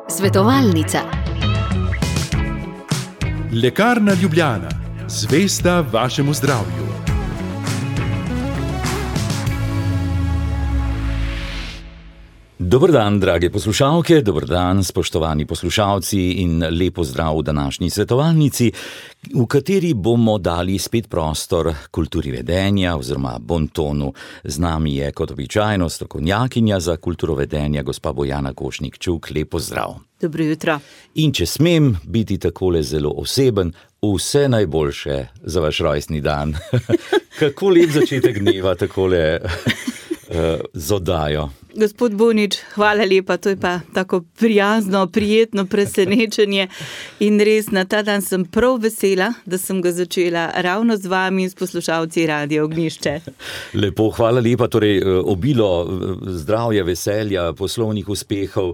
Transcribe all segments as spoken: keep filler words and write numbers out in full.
Svetovalnica. Lekarna Ljubljana, zvesta vašemu zdravju. Dober dan, drage poslušalke, dober dan, spoštovani poslušalci in lepo zdrav v današnji svetovalnici, v kateri bomo dali spet prostor kulturi vedenja oziroma bontonu. Z nami je kot običajno strokovnjakinja za kulturo vedenja, gospa Bojana Košnik-Čuk. Lepo zdrav. Dobro jutro. In če smem biti takole zelo oseben, vse najboljše za vaš rojstni dan. Kako lep začetek dneva takole uh, z oddajo. Gospod Bonič, hvala lepa, to je pa tako prijazno, prijetno presenečenje in res na ta dan sem prav vesela, da sem ga začela ravno z vami in s poslušalci Radia Ognjišče. Lepo, hvala lepa, torej obilo zdravja, veselja, poslovnih uspehov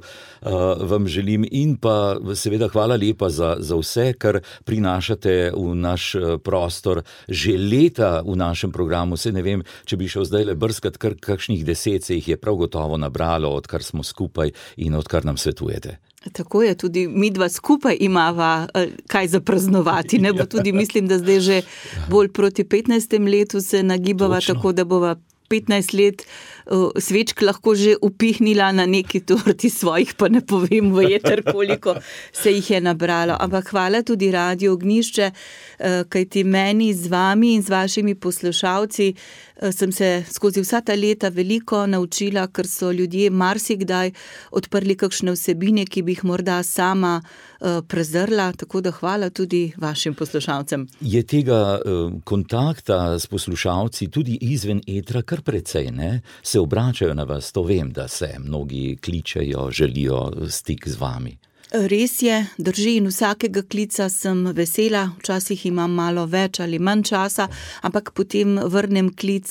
vam želim in pa seveda hvala lepa za, za vse, kar prinašate v naš prostor že leta v našem programu. Se ne vem, če bi šel zdaj le brskat, kar kakšnih deset se jih je prav gotovo nabralo, odkar smo skupaj in odkar nam svetujete. Tako je, tudi mi dva skupaj imava kaj za praznovati, ne bo tudi, mislim, da zdaj že bolj proti petnajstem letu se nagibava. Točno. Tako da bova petnajst let uh, svečk lahko že upihnila na neki torti svojih, pa ne povem v jeter, koliko se jih je nabralo. Ampak hvala tudi Radio Ognjišče, uh, kajti meni z vami in z vašimi poslušalci uh, sem se skozi vsa ta leta veliko naučila, ker so ljudje marsikdaj odprli kakšne vsebine, ki bi jih morda sama uh, prezrla, tako da hvala tudi vašim poslušalcem. Je tega uh, kontakta s poslušalci tudi izven etra kar precej, ne? Se obračajo na vas, to vem, da se mnogi kličejo, želijo stik z vami. Res je, drži, in vsakega klica sem vesela, včasih imam malo več ali manj časa, ampak potem vrnem klic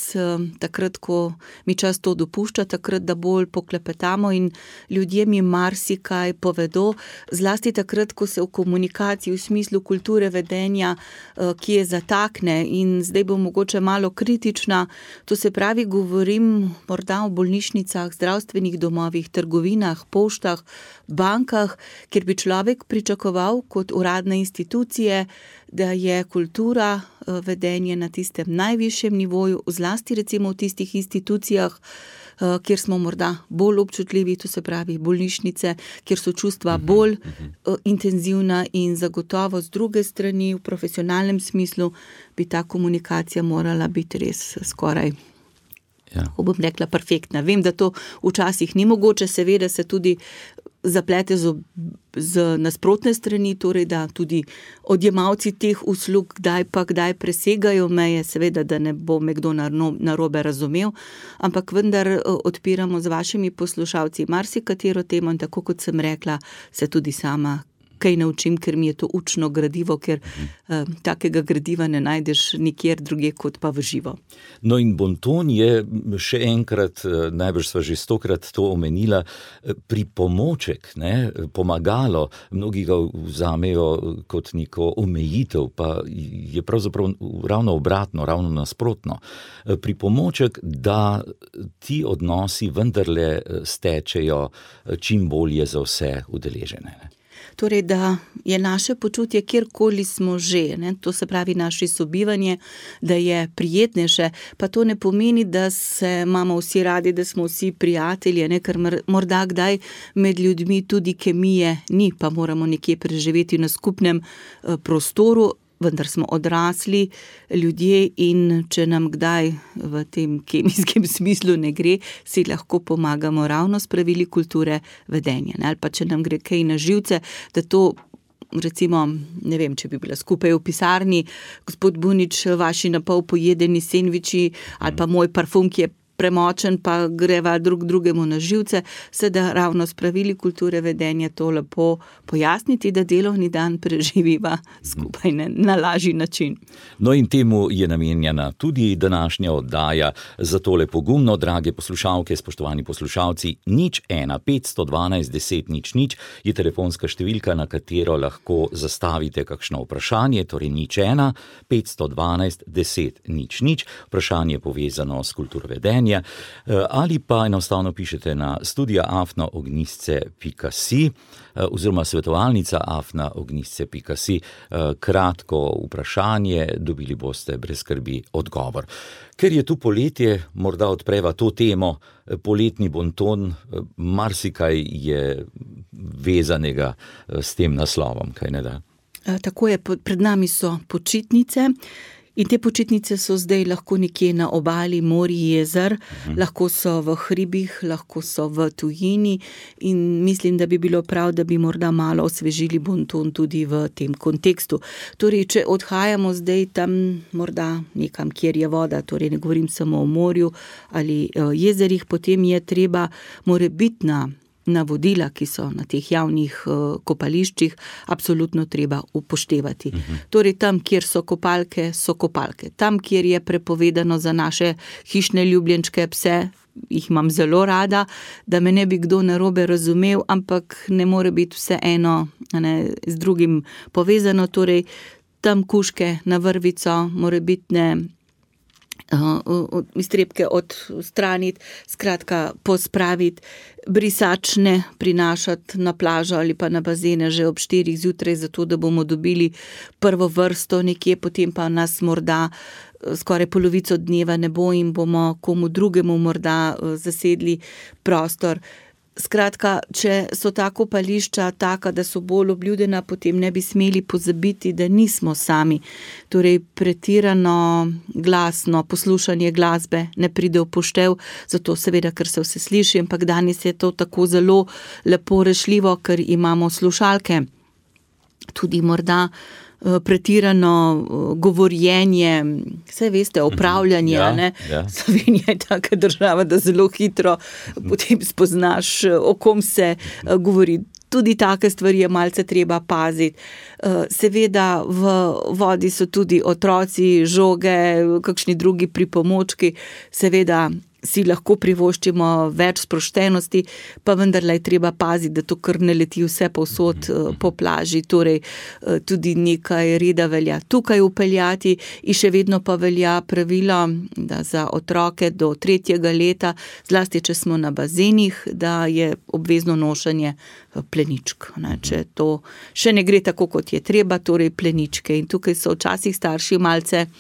takrat, ko mi čas to dopušča, takrat, da bolj poklepetamo in ljudje mi marsikaj povedo, zlasti takrat, ko se v komunikaciji v smislu kulture vedenja, ki je zatakne in zdaj bom mogoče malo kritična, to se pravi, govorim morda o bolnišnicah, zdravstvenih domovih, trgovinah, poštah, bankah, kjer bi človek pričakoval kot uradne institucije, da je kultura vedenje na tistem najvišjem nivoju, zlasti recimo v tistih institucijah, kjer smo morda bolj občutljivi, to se pravi bolnišnice, kjer so čustva bolj intenzivna in zagotovo z druge strani v profesionalnem smislu bi ta komunikacija morala biti res skoraj, ja, ko bom rekla, perfektna. Vem, da to včasih ni mogoče, seveda se tudi zaplete z, z nasprotne strani, torej da tudi odjemalci teh uslug kdaj pa kdaj presegajo meje, seveda, da ne bo me kdo narobe razumel, ampak vendar odpiramo z vašimi poslušalci marsikatero temo in tako kot sem rekla, se tudi sama kaj naučim, ker mi je to učno gradivo, ker uh, takega gradiva ne najdeš nikjer druge kot pa v živo. No in bonton je še enkrat, najbrž sva že stokrat to omenila, pripomoček, ne, pomagalo, mnogi ga vzamejo kot neko omejitev, pa je pravzaprav ravno obratno, ravno nasprotno. Pripomoček, da ti odnosi vendarle stečejo čim bolje za vse udeležene. Ne. Torej, da je naše počutje, kjerkoli smo že, ne, to se pravi naše sobivanje, da je prijetnejše, pa to ne pomeni, da se imamo vsi radi, da smo vsi prijatelji, ne, ker morda kdaj med ljudmi tudi kemije ni, pa moramo nekje preživeti na skupnem uh, prostoru, vendar smo odrasli ljudje in če nam kdaj v tem kemijskem smislu ne gre, si lahko pomagamo ravno s pravili kulture vedenja. Ne? Ali pa če nam gre kaj na živce, da to recimo, ne vem, če bi bila skupaj v pisarni, gospod Bunič, vaši napol pojedeni sendviči ali pa moj parfum, ki je premočen, pa greva drug drugemu na živce, se da ravno s pravili kulture vedenja to lepo pojasniti, da delovni dan preživiva skupaj ne, na lažji način. No in temu je namenjena tudi današnja oddaja, zato le pogumno, drage poslušalke, spoštovani poslušalci, nič ena, petsto dvanajst, deset, nič, nič je telefonska številka, na katero lahko zastavite kakšno vprašanje, torej nič ena, petsto dvanajst, deset, nič, nič, vprašanje povezano s kulturo vedenja, vprašanja, ali pa enostavno pišete na studija afna ognjisce pika si oziroma svetovalnica afna ognjisce pika si. Kratko vprašanje, dobili boste brez skrbi odgovor. Ker je tu poletje, morda odpreva to temo, poletni bonton, marsikaj je vezanega s tem naslovom, kaj ne da? Tako je, pred nami so počitnice in te počitnice so zdaj lahko nekje na obali, morji, jezer, uh-huh. lahko so v hribih, lahko so v tujini in mislim, da bi bilo prav, da bi morda malo osvežili bonton tudi v tem kontekstu. Torej, če odhajamo zdaj tam morda nekam, kjer je voda, torej ne govorim samo o morju ali jezerih, potem je treba morebitna navodila, ki so na teh javnih uh, kopališčih, absolutno treba upoštevati. Uh-huh. Torej, tam, kjer so kopalke, so kopalke. Tam, kjer je prepovedano za naše hišne ljubljenčke pse, jih imam zelo rada, da me ne bi kdo narobe razumel, ampak ne more biti vse eno ne, z drugim povezano. Torej, tam kužke na vrvico, morebitne Uh, iztrebke odstraniti, skratka pospraviti, brisač ne prinašati na plažo ali pa na bazene že ob štirih zjutraj, zato da bomo dobili prvo vrsto nekje, potem pa nas morda skoraj polovico dneva ne bo in bomo komu drugemu morda zasedli prostor. Skratka, če so ta kopališča taka, da so bolj obljudena, potem ne bi smeli pozabiti, da nismo sami. Torej, pretirano glasno poslušanje glasbe ne pride v poštev, zato seveda, ker se vse sliši, ampak danes je to tako zelo lepo rešljivo, ker imamo slušalke. Tudi morda pretirano govorjenje, vse veste, opravljanje, ja, ne? Ja. Slovenija je taka država, da zelo hitro potem spoznaš, o kom se govori. Tudi take stvari je malce treba paziti. Seveda v vodi so tudi otroci, žoge, kakšni drugi pripomočki, seveda si lahko privoščimo več sproštenosti, pa vendarle je treba paziti, da to kar ne leti vse povsod po plaži, torej tudi nekaj reda velja tukaj upeljati in še vedno pa velja pravilo, da za otroke do tretjega leta, zlasti če smo na bazenih, da je obvezno nošenje pleničk. Ne? Če to še ne gre tako, kot je treba, torej pleničke. In tukaj so včasih starši malce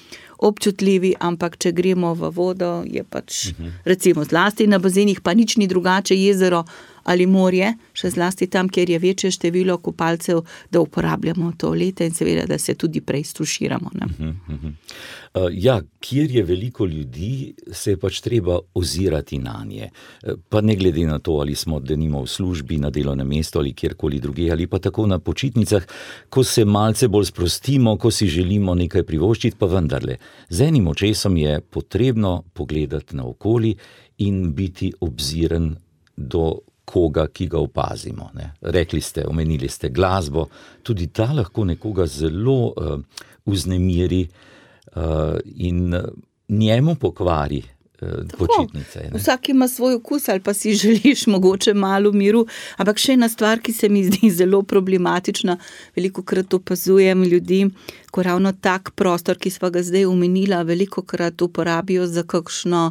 občutljivi, ampak če gremo v vodo, je pač recimo zlasti na bazenih, pa nič ni drugače, jezero ali morje, še zlasti tam, kjer je večje število kopalcev, da uporabljamo toalete in seveda, da se tudi prej stuširamo. Ne? Uh-huh, uh-huh. Uh, ja, kjer je veliko ljudi, se je pač treba ozirati nanje. Pa ne glede na to, ali smo denimo v službi, na delovnem mestu ali kjerkoli druge, ali pa tako na počitnicah, ko se malce bolj sprostimo, ko si želimo nekaj privoščiti, pa vendarle. Z enim očesom je potrebno pogledati naokoli in biti obziren do koga, ki ga opazimo. Ne. Rekli ste, omenili ste glasbo, tudi ta lahko nekoga zelo uh, vznemiri uh, in njemu pokvari uh, počitnice. Ne. Vsak ima svoj okus ali pa si želiš mogoče malo miru, ampak še ena stvar, ki se mi zdi zelo problematična, velikokrat opazujem ljudi, ko ravno tak prostor, ki sva ga zdaj omenila, velikokrat uporabijo za kakšno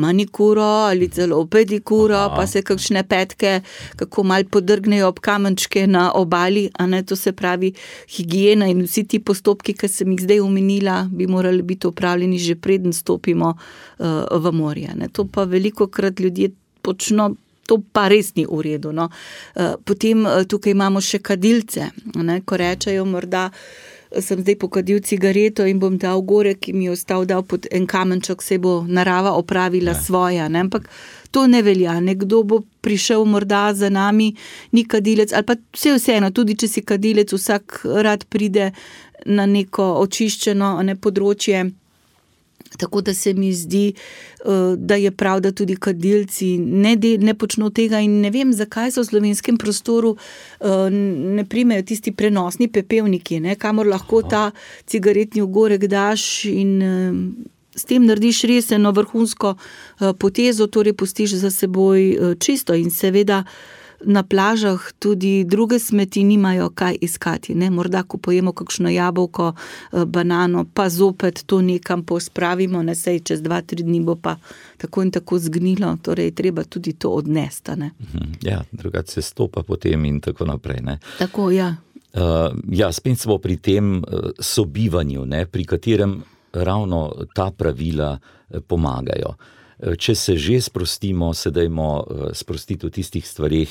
manikuro ali celo pedikuro, Aha. pa se kakšne petke, kako mal podrgnejo ob kamenčke na obali, a ne, to se pravi higiena in vsi ti postopki, ki sem jih zdaj omenila, bi morali biti opravljeni že preden stopimo uh, v morje. Ne. To pa velikokrat ljudje počno, to pa res ni v redu. No. Uh, potem uh, tukaj imamo še kadilce, ne, ko rečejo morda, sem zdaj pokadil cigareto in bom dal gore, ki mi je ostal dal pod en kamenček, se bo narava opravila ne. svoja. Ne? Ampak to ne velja. Nekdo bo prišel morda za nami, ni kadilec, ali pa vse vseeno, tudi če si kadilec, vsak rad pride na neko očiščeno ne, področje. Tako da se mi zdi, da je prav, da tudi kadilci ne, de, ne počno tega in ne vem, zakaj so v slovenskem prostoru ne primejo tisti prenosni pepelniki, ne, kamor lahko ta cigaretni ogorek daš in s tem narediš res eno vrhunsko potezo, torej pustiš za seboj čisto in seveda na plažah tudi druge smeti nimajo kaj iskati, ne, morda ko pojemo kakšno jabolko, banano, pa zopet to nekam pospravimo, ne, sej čez dva, tri dni bo pa tako in tako zgnilo, torej treba tudi to odnesti, ne. Ja, drugače se stopa potem in tako naprej, ne. Tako, ja. Uh, ja, spet smo pri tem uh, sobivanju, ne, pri katerem ravno ta pravila uh, pomagajo. Uh, če se že sprostimo, se dajmo uh, sprostiti v tistih stvarih,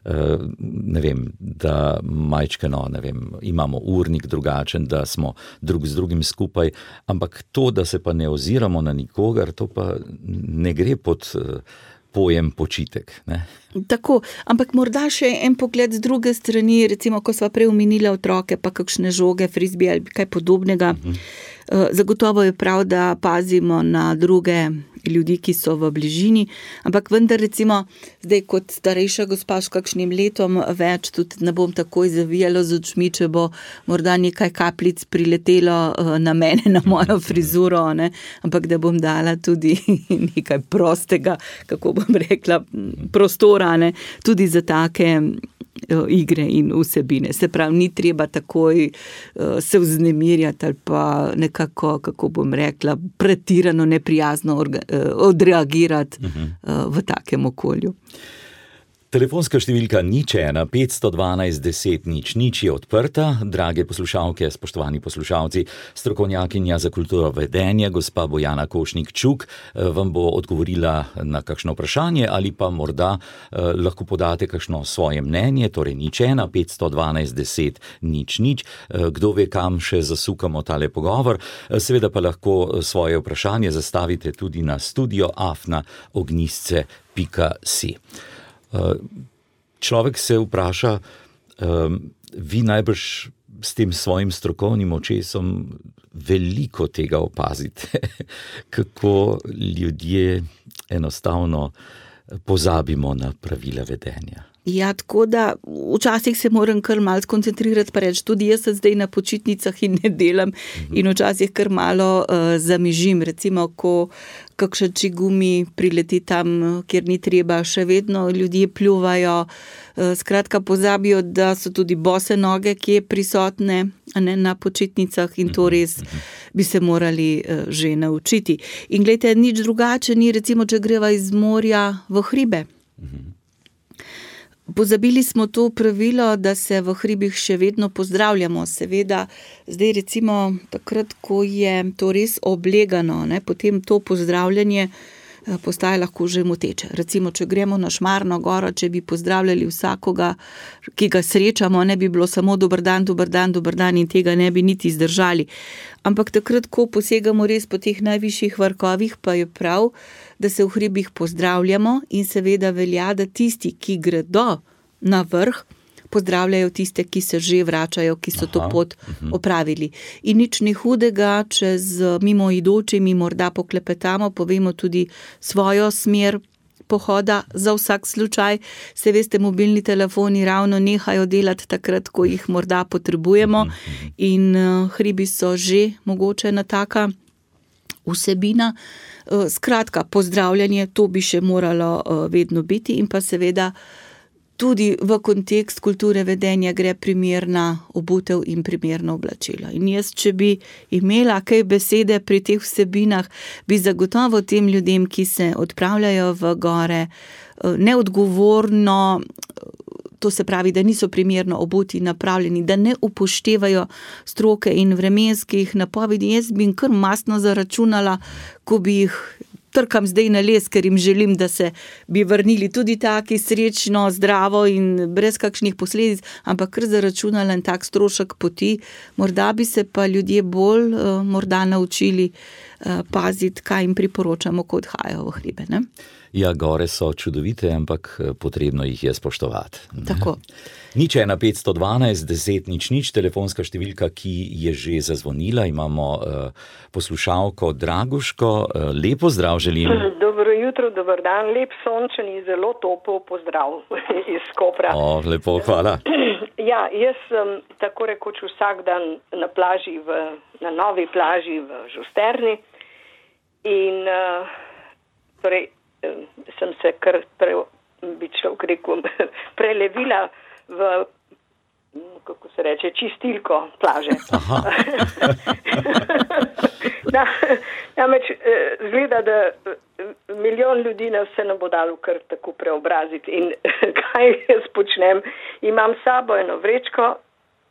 uh, ne vem, da majčkeno, ne vem, imamo urnik drugačen, da smo drug z drugim skupaj, ampak to, da se pa ne oziramo na nikogar, to pa ne gre pod uh, pojem počitek, ne. Tako, ampak morda še en pogled z druge strani, recimo, ko sva prej omenila otroke, pa kakšne žoge, frisbee ali kaj podobnega. Uh-huh. Zagotovo je prav, da pazimo na druge ljudi, ki so v bližini, ampak vendar recimo, zdaj kot starejša gospa s kakšnim letom več, tudi ne bom takoj zavijala z očmi, če bo morda nekaj kapljic priletelo na mene, na mojo frizuro, ne? Ampak da bom dala tudi nekaj prostega, kako bom rekla, prostora, ne? Tudi za take igre in vsebine. Se pravi, ni treba takoj uh, se vznemirjati ali pa nekako, kako bom rekla, pretirano neprijazno orga, uh, odreagirati uh, v takem okolju. Telefonska številka nič ena petsto dvanajst deset nič nič je odprta. Drage poslušalke, spoštovani poslušalci, strokovnjakinja za kulturo vedenja, gospa Bojana Košnik-Čuk, vam bo odgovorila na kakšno vprašanje ali pa morda eh, lahko podate kakšno svoje mnenje, torej nič ena petsto dvanajst deset nič nič. Eh, kdo ve, kam še zasukamo tale pogovor. Eh, seveda pa lahko svoje vprašanje zastavite tudi na studio afna ognjisce pika si. Človek se vpraša, vi najbrž s tem svojim strokovnim očesom veliko tega opazite, kako ljudje enostavno pozabimo na pravila vedenja. Ja, tako da včasih se moram kar malo skoncentrirati, pa reči, tudi jaz sem zdaj na počitnicah in ne delam uh-huh. in včasih kar malo uh, zamižim, recimo, ko kakšen čigumi prileti tam, kjer ni treba, še vedno ljudje pljuvajo, uh, skratka pozabijo, da so tudi bose noge, ki je prisotne, a ne, na počitnicah in to res bi se morali uh, že naučiti. In glejte, nič drugače ni, recimo, če greva iz morja v hribe. Uh-huh. Pozabili smo to pravilo, da se v hribih še vedno pozdravljamo. Seveda, zdaj recimo takrat, ko je to res oblegano, ne, potem to pozdravljanje postaja lahko že moteče. Recimo, če gremo na Šmarno goro, če bi pozdravljali vsakoga, ki ga srečamo, ne bi bilo samo dober dan, dober dan, dober dan in tega ne bi niti zdržali. Ampak takrat, ko posegamo res po teh najvišjih vrhovih, pa je prav, da se v hribih pozdravljamo in seveda velja, da tisti, ki gredo na vrh, pozdravljajo tiste, ki se že vračajo, ki so Aha. to pot opravili. In nič ni hudega, če z mimoidočimi morda poklepetamo, povemo tudi svojo smer pohoda za vsak slučaj. Se veste, mobilni telefoni ravno nehajo delati takrat, ko jih morda potrebujemo in uh, hribi so že mogoče na taka vsebina. Skratka, pozdravljanje, to bi še moralo vedno biti in pa seveda tudi v kontekst kulture vedenja gre primerna obutev in primerno oblačilo. In jaz, če bi imela kaj besede pri teh vsebinah, bi zagotovo tem ljudem, ki se odpravljajo v gore, neodgovorno, to se pravi, da niso primerno obuti in napravljeni, da ne upoštevajo stroke in vremenskih napovedi. Jaz bi jim kar mastno zaračunala, ko bi jih trkam zdaj na les, ker jim želim, da se bi vrnili tudi taki srečno, zdravo in brez kakšnih posledic, ampak kar zaračunala en tak strošek poti. Morda bi se pa ljudje bolj uh, morda naučili uh, paziti, kaj jim priporočamo, ko odhajajo v hribe, ne? Ja, gore so čudovite, ampak potrebno jih je spoštovati. Tako. Nič ena petsto dvanajst deset nič nič, telefonska številka, ki je že zazvonila. Imamo uh, poslušalko Draguško. Uh, lepo zdrav želim. Dobro jutro, dober dan, lep sončen in zelo topel pozdrav iz Kopra. O, lepo, hvala. Ja, jaz sem tako rekoč vsak dan na plaži, v, na novi plaži v Žusterni in uh, torej sem se kar pre, bi človek rekel, prelevila v, kako se reče, čistilko plaže. Na, namreč zgleda, da milijon ljudi nas se ne bo dalo kar tako preobraziti. In kaj jaz počnem? Imam s sabo eno vrečko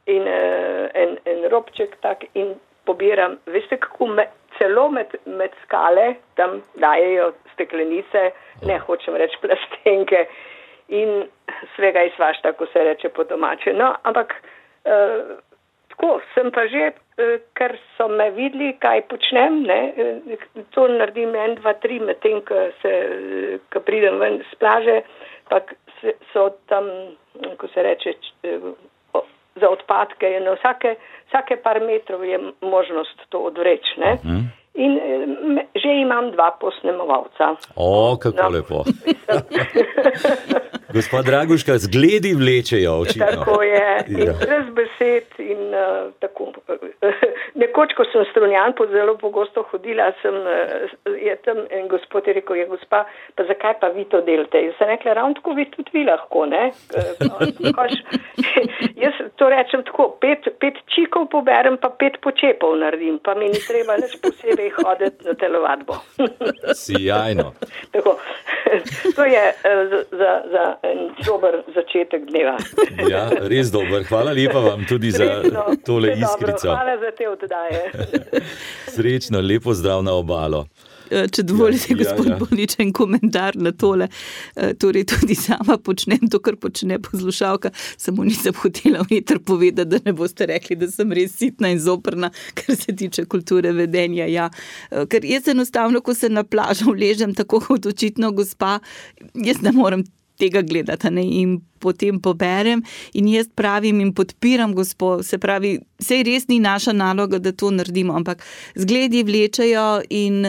in en, en robček tak in pobiram, veste kako me, celo med, med skale tam dajejo steklenice, ne hočem reči plastenke in svega izvašta, ko se reče po domače. No, ampak eh, tako sem pa že, eh, ker so me videli, kaj počnem, ne, eh, to naredim en, dva, tri, medtem, ko se, ko pridem ven z plaže, pa so tam, ko se reče, eh, za odpadke, na vsake, vsake par metrov je možnost to odvreči, ne. Mm. In me, že imam dva posnemovalca. O, kako no. Lepo. Gospa Draguška, zgledi vlečejo očitno. Tako je, in ja. Brez besed in uh, tako. Nekoč, ko sem Strunjan pod zelo pogosto hodila, sem, uh, je tam en gospod je rekel, je gospa, pa zakaj pa vi to delate? Jaz sem rekla, ravno tako vi tudi vi lahko, ne? Koš, jaz to rečem tako, pet, pet čikov poberem, pa pet počepov naredim, pa mi ni treba nič posebej hoditi na telovadbo. Sijajno. Tako, to je uh, za, za en dober začetek dneva. Ja, res dober. Hvala lepa vam tudi Srečno, za tole iskrico. Hvala za te oddaje. Srečno, lepo zdrav na obalo. Če dovolite, ja, gospod ja, ja. Bonič, en komentar na tole. Torej, tudi sama počnem to, kar počne poslušalka, samo nisem hotela v eter povedati, da ne boste rekli, da sem res sitna in zoprna, kar se tiče kulture vedenja. Ja. Ker jaz enostavno, ko se na plažo vležem, tako kot očitno gospa, jaz ne morem tega gledati, ne, in potem poberem in jaz pravim in podpiram gospo, se pravi, sej res ni naša naloga, da to naredimo, ampak zgledi vlečejo in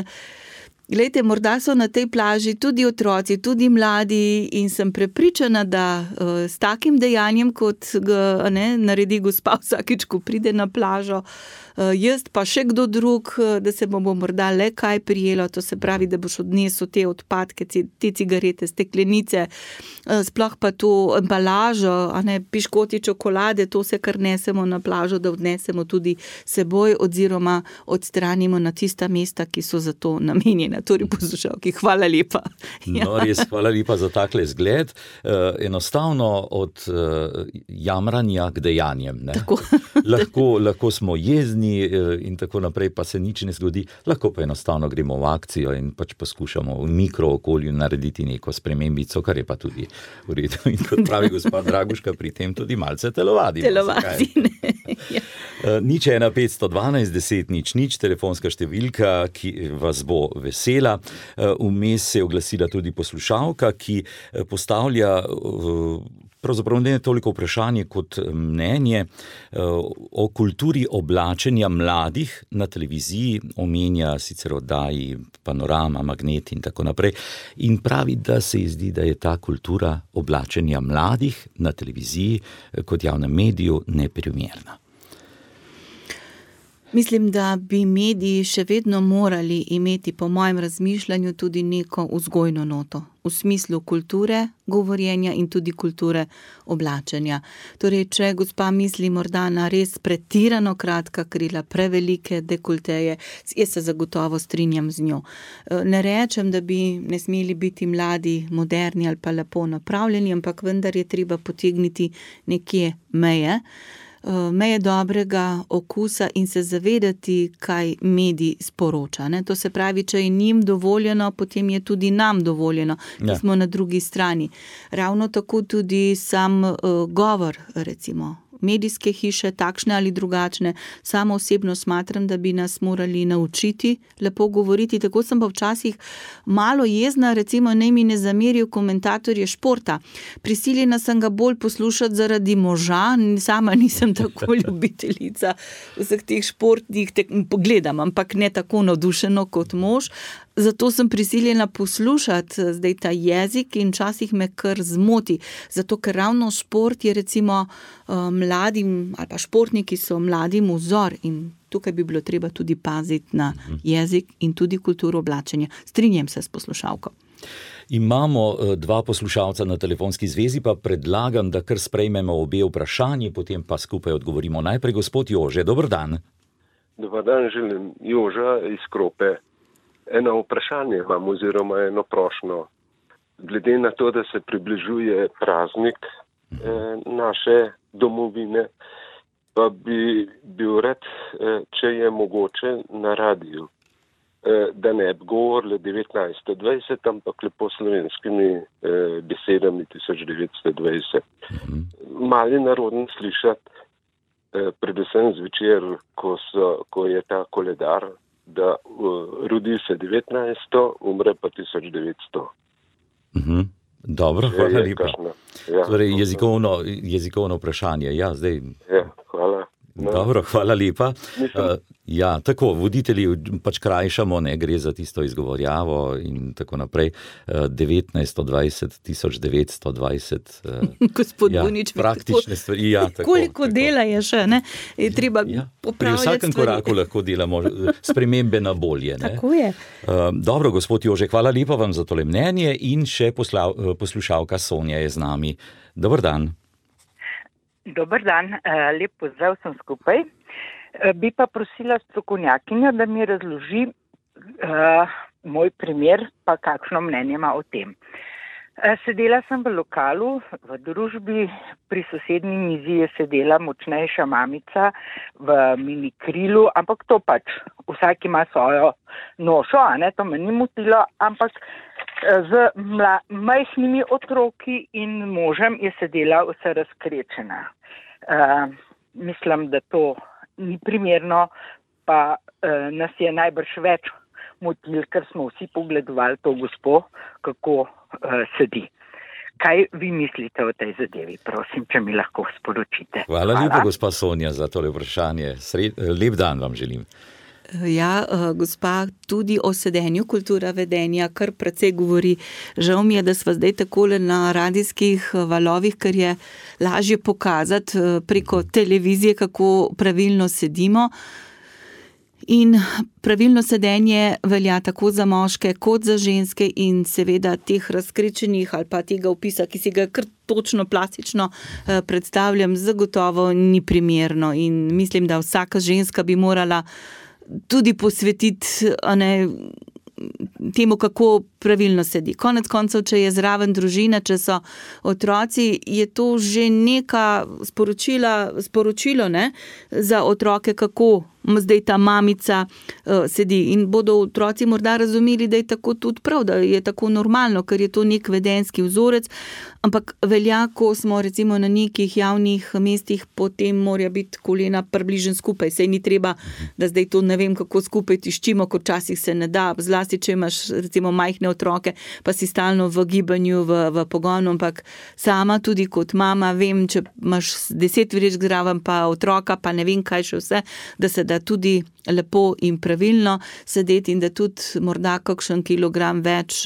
glejte, morda so na tej plaži tudi otroci, tudi mladi in sem prepričana, da uh, s takim dejanjem, kot ga ne, naredi gospa vsakič, ko pride na plažo, uh, jaz pa še kdo drug, da se bomo morda le kaj prijelo, to se pravi, da boš odnesel te odpadke, te cigarete, steklenice, uh, sploh pa to embalažo, a ne, piškoti, čokolade, to se kar nesemo na plažo, da odnesemo tudi seboj oziroma odstranimo na tista mesta, ki so za to namenjena. Torej poslušalki, hvala lepa. Ja. No, res, hvala lepa za takle zgled. Uh, enostavno od uh, jamranja k dejanjem. Ne? Tako. lahko, lahko smo jezni uh, in tako naprej, pa se nič ne zgodi. Lahko pa enostavno gremo v akcijo in pač poskušamo v mikrookolju narediti neko spremembico, kar je pa tudi v redu. In kot pravi gospod Draguška, pri tem tudi malce telovadimo. Telovadi, ne. Ja. Uh, nič ena petsto dvanajst deset nič nič, telefonska številka, ki vas bo vesela. Vmes se je oglasila tudi poslušalka, ki postavlja pravzaprav ne toliko vprašanje kot mnenje o kulturi oblačenja mladih na televiziji, omenja sicer oddaji Panorama, Magnet in tako naprej, in pravi, da se ji zdi, da je ta kultura oblačenja mladih na televiziji kot javnem mediju neprimerna. Mislim, da bi mediji še vedno morali imeti, po mojem razmišljanju, tudi neko vzgojno noto. V smislu kulture govorjenja in tudi kulture oblačenja. Torej, če gospa misli morda na res pretirano kratka krila, prevelike dekolteje, jaz se zagotovo strinjam z njo. Ne rečem, da bi ne smeli biti mladi moderni ali pa lepo napravljeni, ampak vendar je treba potegniti nekje meje. meje dobrega okusa in se zavedati, kaj medij sporoča. Ne? To se pravi, če je njim dovoljeno, potem je tudi nam dovoljeno, ki ja. Smo na drugi strani. Ravno tako tudi sam uh, govor, recimo, medijske hiše, takšne ali drugačne, samo osebno smatram, da bi nas morali naučiti lepo govoriti. Tako sem pa včasih malo jezna, recimo naj mi ne zamerijo komentatorje športa. Prisiljena sem ga bolj poslušati zaradi moža, sama nisem tako ljubiteljica vseh teh športnih, tek, pogledam, ampak ne tako navdušeno kot mož. Zato sem prisiljena poslušati zdaj ta jezik in včasih me kar zmoti. Zato, ker ravno šport je recimo mladim, ali pa športniki so mladim vzor in tukaj bi bilo treba tudi paziti na jezik in tudi kulturo oblačenja. Strinjam se s poslušalko. Imamo dva poslušalca na telefonski zvezi, pa predlagam, da kar sprejmemo obe vprašanji, potem pa skupaj odgovorimo. Najprej gospod Jože, dober dan. Dobar dan, želim Joža iz Krope. Eno vprašanje imam oziroma eno prošnjo. Glede na to, da se približuje praznik eh, naše domovine, pa bi bil rad, eh, če je mogoče na radiju, eh, da ne bi govorili devetnajststo dvajset, ampak lepo slovenskimi eh, besedami tisoč devetsto dvajset. Mhm. Mali narodni slišati, eh, predvsem zvečer, ko, so, ko je ta koledar, da uh, rodi se devetnajststo, umre pa tisoč devetsto. Mhm. Dobro, hvala lepa. Ja, torej, jezikovno, jezikovno vprašanje. Ja, zdaj... ja, hvala. No. Dobro, hvala lepa. Uh, ja, tako, voditelji pač krajšamo, ne gre za tisto izgovorjavo in tako naprej. Uh, devetnajststo dvajset, tisoč devetsto dvajset. Uh, Gospod ja, Bunič, praktične stvari. Ja, tako, koliko tako. dela je še, ne? Je treba ja, popravljati stvari. Pri vsakem koraku lahko delamo spremembe na bolje. Ne? Tako je. Uh, dobro, gospod Jože, hvala lepa vam za tole mnenje in še posla, poslušalka Sonja je z nami. Dobar dan. Dobar dan, lep pozdrav sem skupaj. Bi pa prosila strokovnjakinjo, da mi razloži uh, moj primer, pa kakšno mnenje ima o tem. Sedela sem v lokalu, v družbi, pri sosednji mizi je sedela močnejša mamica v minikrilu, ampak to pač, vsak ima svojo nošo, a ne, to me ni motilo, ampak z mla, majhnimi otroki in možem je sedela vse razkrečena. Uh, mislim, da to ni primerno, pa uh, nas je najbrž več motil, ker smo vsi pogledovali to gospo, kako uh, sedi. Kaj vi mislite o tej zadevi? Prosim, če mi lahko sporočite. Hvala, Hvala. lepa, gospa Sonja, za tole vprašanje. Sred, lep dan vam želim. Ja, gospa, tudi o sedenju kultura vedenja kar precej govori. Žal mi je, da sva zdaj takole na radijskih valovih, ker je lažje pokazati preko televizije, kako pravilno sedimo. In pravilno sedenje velja tako za moške kot za ženske in seveda teh razkrečenih ali pa tega opisa, ki si ga kar točno plastično predstavljam, zagotovo ni primerno in mislim, da vsaka ženska bi morala tudi posvetiti ne, temu, kako pravilno sedi. Konec koncev, če je zraven družina, če so otroci, je to že neka sporočila, sporočilo ne, za otroke, kako zdaj ta mamica uh, sedi. In bodo otroci morda razumeli, da je tako tudi prav, da je tako normalno, ker je to nek vedenjski vzorec, ampak velja, ko smo recimo na nekih javnih mestih, potem mora biti kolena približno skupaj. Sej ni treba, da zdaj to ne vem, kako skupaj tiščimo, kot časih se ne da, zlasti, če imaš recimo majhne otroke, pa si stalno v gibanju, v, v pogonu, ampak sama tudi kot mama vem, če imaš deset vrečk zraven, pa otroka, pa ne vem kaj še vse, da se da tudi lepo in pravilno sedeti in da tudi morda kakšen kilogram več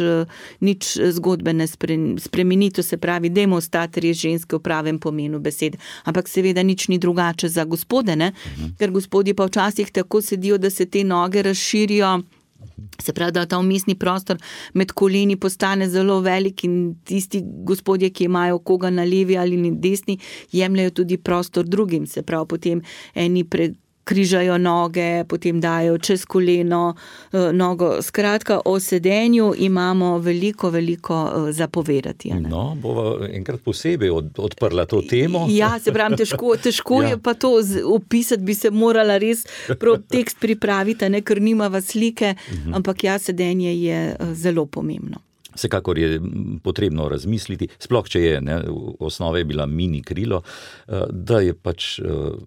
nič zgodbe ne spremeni, to se pravi, dajmo ostati res ženske v pravem pomenu besede. Ampak seveda nič ni drugače za gospode, ne? Ker gospodje pa včasih tako sedijo, da se te noge razširijo, se pravi, da ta vmesni prostor med koleni postane zelo velik in tisti gospodje, ki imajo koga na levi ali na desni, jemljajo tudi prostor drugim, se pravi, potem eni pred križajo noge, potem dajo čez koleno nogo. Skratka, o sedenju imamo veliko, veliko zapovedati. No, bova enkrat posebej od, odprla to temo. Ja, se pravi, težko, težko ja. je pa to opisati, bi se morala res prav tekst pripraviti, ne, ker nimava slike, uh-huh. ampak ja, sedenje je zelo pomembno. Vsekakor je potrebno razmisliti, sploh če je, ne, v osnovi je bila mini krilo, da je pač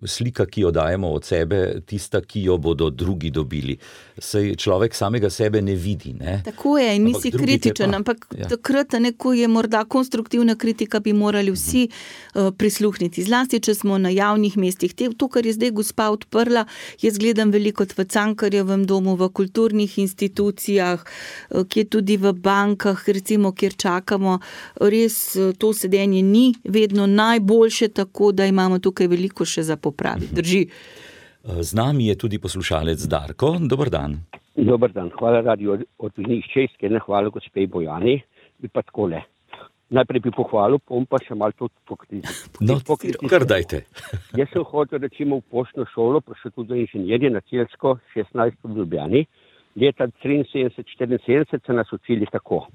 slika, ki jo dajemo od sebe, tista, ki jo bodo drugi dobili. Sej človek samega sebe ne vidi. Ne? Tako je, in nisi kritičen, pa, ampak ja. takrat, ko je morda konstruktivna kritika, bi morali vsi uh, prisluhniti. Zlasti, če smo na javnih mestih. To, kar je zdaj gospa odprla, jaz gledam veliko v Cankarjevem domu, v kulturnih institucijah, uh, ki je tudi v bankah, recimo, kjer čakamo, res to sedenje ni vedno najboljše, tako da imamo tukaj veliko še za popraviti. Drži. Z nami je tudi poslušalec Darko. Dobar dan. Dobar dan. Hvala radio od njih Česke, ne hvala gospe Bojani bi pa takole. Najprej bi pohvalil, pom pa še malo to pokritizirati. No, kar dajte. Jaz sem hodil recimo v poštno šolo, pa še tudi inženirje na Celjsko, šestnajst v Ljubljani. Leta triinsedemdeset štiriinsedemdeset so nas učili tako.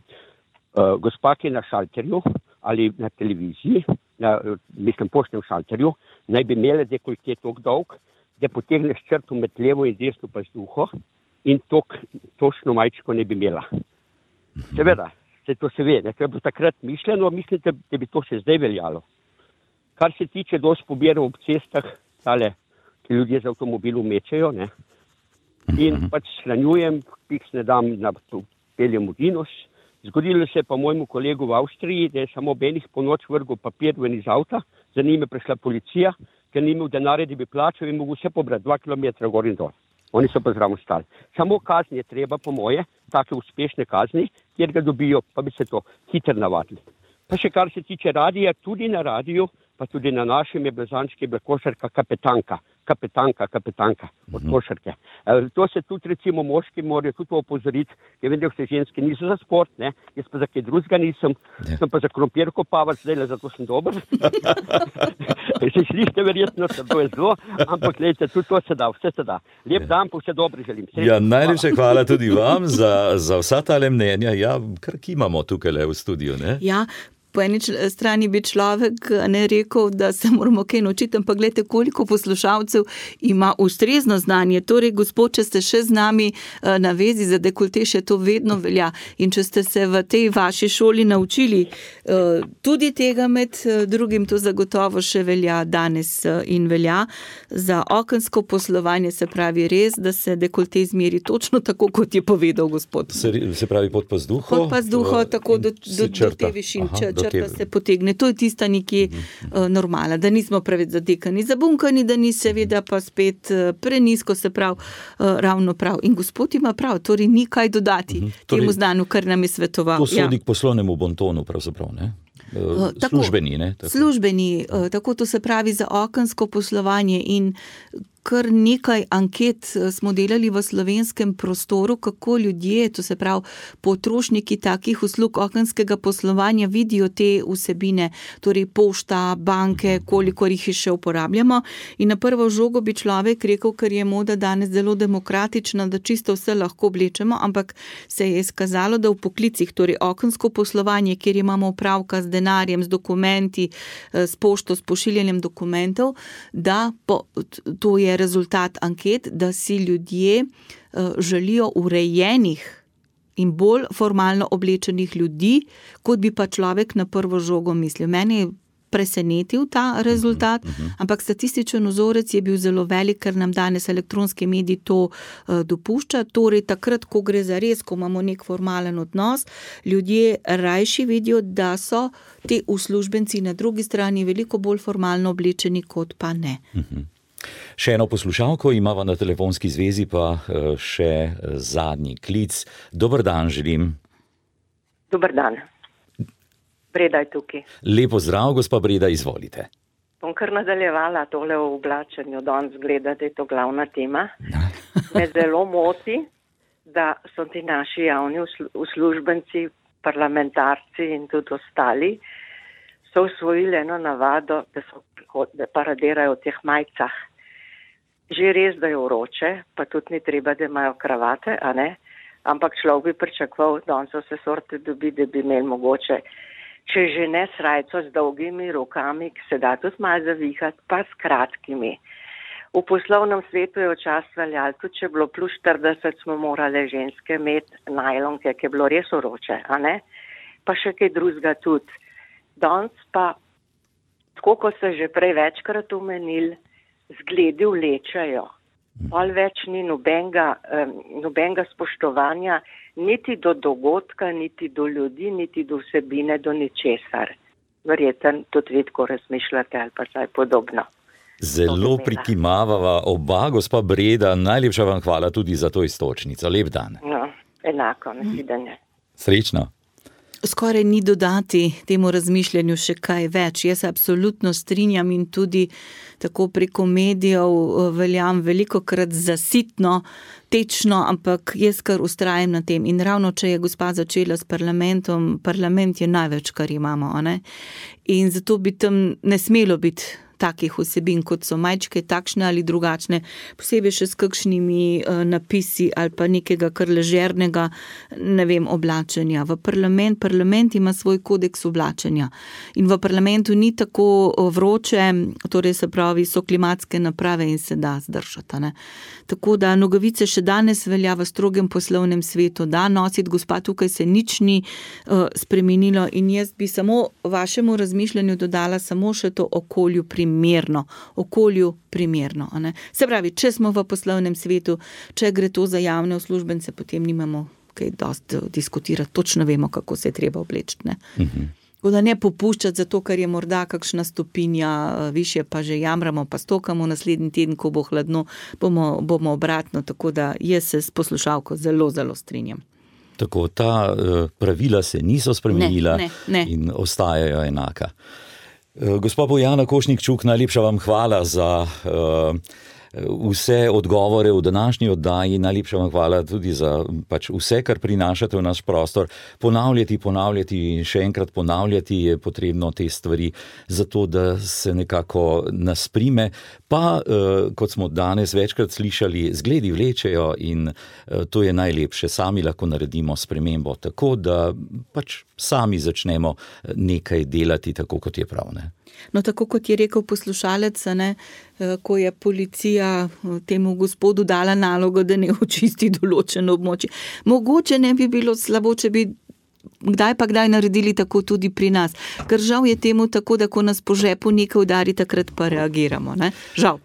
Uh, gospa, ki je na šalterju ali na televiziji, na, mislim, poštnem šalterju, naj bi imele dekoltje tok dolg, da potegneš črto med levo in desno pazduho in tok, točno majčko ne bi imela. Seveda, se to se ve, ne, to je bilo takrat mišljeno, mislim, da, da bi to še zdaj veljalo. Kar se tiče dosti pobirov ob cestah, tale, ki ljudje z avtomobilom mečejo, ne, in pač shranjujem, piks ne dam na peljem v Dinos. Zgodilo se je pa mojemu kolegu v Avstriji, da je samo ob enih po noč vrgel papir ven iz avta, za njim je prišla policija, ker ni imel denarja, da bi plačal in mogel vse pobrati dva kilometra gor in dol. Oni so pa zraven stali. Samo kazni je treba, po moje, take uspešne kazni, kjer ga dobijo, pa bi se to hitro navadili. Pa še kar se tiče radija, tudi na radiju, pa tudi na našem je blazančki bila košarka kapetanka, kapetanka, kapetanka od košarke. E, to se tudi recimo moški morajo tudi opozoriti, ker vem, da vse ženske niso za sport, ne, jaz pa za kaj drugega nisem, ja. Sem pa za krompir kopavati, zdaj le zato sem dober. Se slište verjetno, da to je zelo, ampak gledajte, tudi to se da, vse se da. Lep dan, pa vse dobro želim. Sredno. Ja, najlepša hvala tudi vam za, za vsa tale mnenja, ja, kar kimamo tukaj le v studiu, ne? Ja, po eni strani bi človek ne rekel, da se moramo kaj naučiti, ampak gledajte, koliko poslušalcev ima ustrezno znanje. Torej, gospod, če ste še z nami na vezi za dekolte, še to vedno velja. In če ste se v tej vaši šoli naučili tudi tega med drugim, to zagotovo še velja danes in velja za okensko poslovanje, se pravi res, da se dekolte izmeri točno tako, kot je povedal gospod. Se, se pravi pod pazduho? Pod pazduho, tako do, do, do te višine. Črta se potegne. To je tista nekje uh, normala, da nismo preveč zadekani, zabunkani, da ni seveda pa spet uh, prenisko, se prav, uh, ravno prav. In gospod ima prav, torej ni kaj dodati uh-huh. torej, temu znanju, kar nam je svetoval. To sodi ja. K poslovnemu bontonu pravzaprav, ne? Uh, tako, službeni, ne? Tako. Službeni, uh, tako to se pravi za okensko poslovanje in kar nekaj anket smo delali v slovenskem prostoru, kako ljudje, to se pravi potrošniki takih uslug okenskega poslovanja vidijo te vsebine, torej pošta, banke, koliko jih še uporabljamo. In na prvo žogo bi človek rekel, ker je moda danes zelo demokratična, da čisto vse lahko oblečemo, ampak se je izkazalo, da v poklicih, torej okensko poslovanje, kjer imamo opravka z denarjem, z dokumenti, s pošto, s pošiljanjem dokumentov, da po, to je rezultat anket, da si ljudje uh, želijo urejenih in bolj formalno oblečenih ljudi, kot bi pa človek na prvo žogo mislil. Mene je presenetil ta rezultat, uh-huh, uh-huh. ampak statističen vzorec je bil zelo velik, ker nam danes elektronski mediji to uh, dopušča. Torej, takrat, ko gre za res, ko imamo nek formalen odnos, ljudje rajši vidijo, da so te uslužbenci na drugi strani veliko bolj formalno oblečeni, kot pa ne. Uh-huh. Še eno poslušalko imava na telefonski zvezi, pa še zadnji klic. Dober dan želim. Dober dan. Breda je tukaj. Lepo zdrav, gospa Breda, izvolite. Bom kar nadaljevala tole v oblačenju, danes gleda, da je to glavna tema. Me zelo moti, da so ti naši javni uslužbenci, parlamentarci in tudi ostali, so usvojili eno navado, da so da paradirajo v teh majicah. Že res, da je vroče, pa tudi ni treba, da imajo kravate, a ne? Ampak človek bi pričakoval, da on so se sorte dobi, da bi imeli mogoče, če že ne srajco z dolgimi rokami, ki se da tudi malo zavihati, pa s kratkimi. V poslovnem svetu je včasih veljalo, tudi če je bilo plus štirideset, smo morali ženske imeti najlonke, ki je bilo res vroče, a ne? Pa še kaj drugega tudi. Danes pa, tako kot se že prej večkrat omenili, zgledi vlečajo. Pol več ni nobenega, um, nobenega spoštovanja, niti do dogodka, niti do ljudi, niti do vsebine, do ničesar. Verjetno tudi vi tako razmišljate ali pa kaj podobno. Zelo prikimavava oba, gospa Breda, najlepša vam hvala tudi za to istočnico. Lep dan. No, enako, nasvidenje. Srečno. Skoraj ni dodati temu razmišljanju še kaj več. Jaz se absolutno strinjam in tudi tako preko medijev veljam velikokrat zasitno, tečno, ampak jaz kar ustrajam na tem. In ravno, če je gospa začela s parlamentom, parlament je največ, kar imamo, a ne? In zato bi tam ne smelo biti takih vsebin, kot so majčke, takšne ali drugačne, posebej še s kakšnimi uh, napisi ali pa nekega kar ležernega, ne vem, oblačenja. V parlament, parlament ima svoj kodeks oblačenja in v parlamentu ni tako vroče, torej se pravi, so klimatske naprave in se da zdržati, ne. Tako da nogavice še danes velja v strogem poslovnem svetu, da nositi, gospa, tukaj se nič ni uh, spremenilo in jaz bi samo vašemu razmišljanju dodala samo še to okolju primerno, okolju primerno, a ne. Se pravi, če smo v poslovnem svetu, če gre to za javne uslužbence, potem nimamo kaj dosti diskutirati, točno vemo, kako se je treba obleči, ne. Mhm. Tako da ne popuščati zato, ker je morda kakšna stopinja višje, pa že jamramo, pa stokamo naslednji teden, ko bo hladno, bomo, bomo obratno, tako da jaz se s poslušalko zelo, zelo strinjam. Tako, ta uh, pravila se niso spremenila ne, ne, ne. In ostajajo enaka. Uh, gospa Bojana Košnik-Čuk, najlepša vam hvala za uh, vse odgovore v današnji oddaji, najlepša vam hvala tudi za pač vse, kar prinašate v naš prostor. Ponavljati, ponavljati in še enkrat ponavljati je potrebno te stvari, zato da se nekako nasprime. Pa, eh, kot smo danes večkrat slišali, zgledi vlečejo in eh, to je najlepše. Sami lahko naredimo spremembo, tako da pač sami začnemo nekaj delati, tako kot je prav, ne? No, tako kot je rekel poslušalec, ne, ko je policija temu gospodu dala nalogo, da ne očisti določeno območje. Mogoče ne bi bilo slabo, če bi kdaj pa kdaj naredili tako tudi pri nas. Ker žal je temu tako, da ko nas po žepu nekaj udari, takrat pa reagiramo, ne? Žal.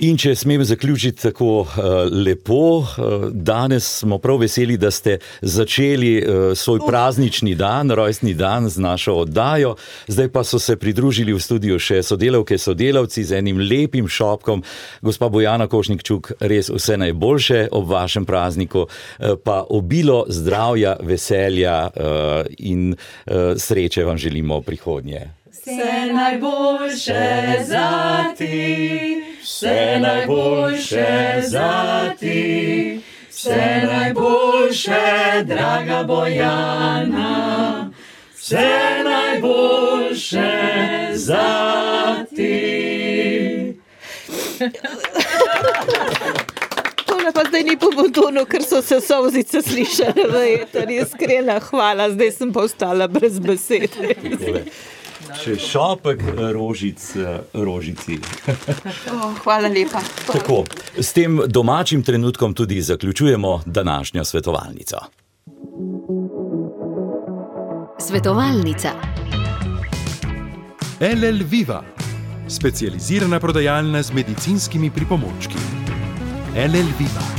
In če smem zaključiti tako uh, lepo, uh, danes smo prav veseli, da ste začeli uh, svoj praznični dan, rojstni dan z našo oddajo. Zdaj pa so se pridružili v studiu še sodelavke, sodelavci z enim lepim šopkom. Gospa Bojana Košnik-Čuk, res vse najboljše ob vašem prazniku, uh, pa obilo zdravja, veselja uh, in uh, sreče vam želimo v prihodnje. Vse najboljše za ti, vse najboljše za ti, vse najboljše, draga Bojana, vse najboljše za ti. Tole pa zdaj ni po bontonu, ker so se solzice slišale v eter, iskrena hvala, zdaj sem pa ostala brez besed. Še šopek rožic rožici. Oh, hvala lepa. Tako, s tem domačim trenutkom tudi zaključujemo današnjo svetovalnico. Svetovalnica. L L Viva, specializirana prodajalna z medicinskimi pripomočki. L L Viva.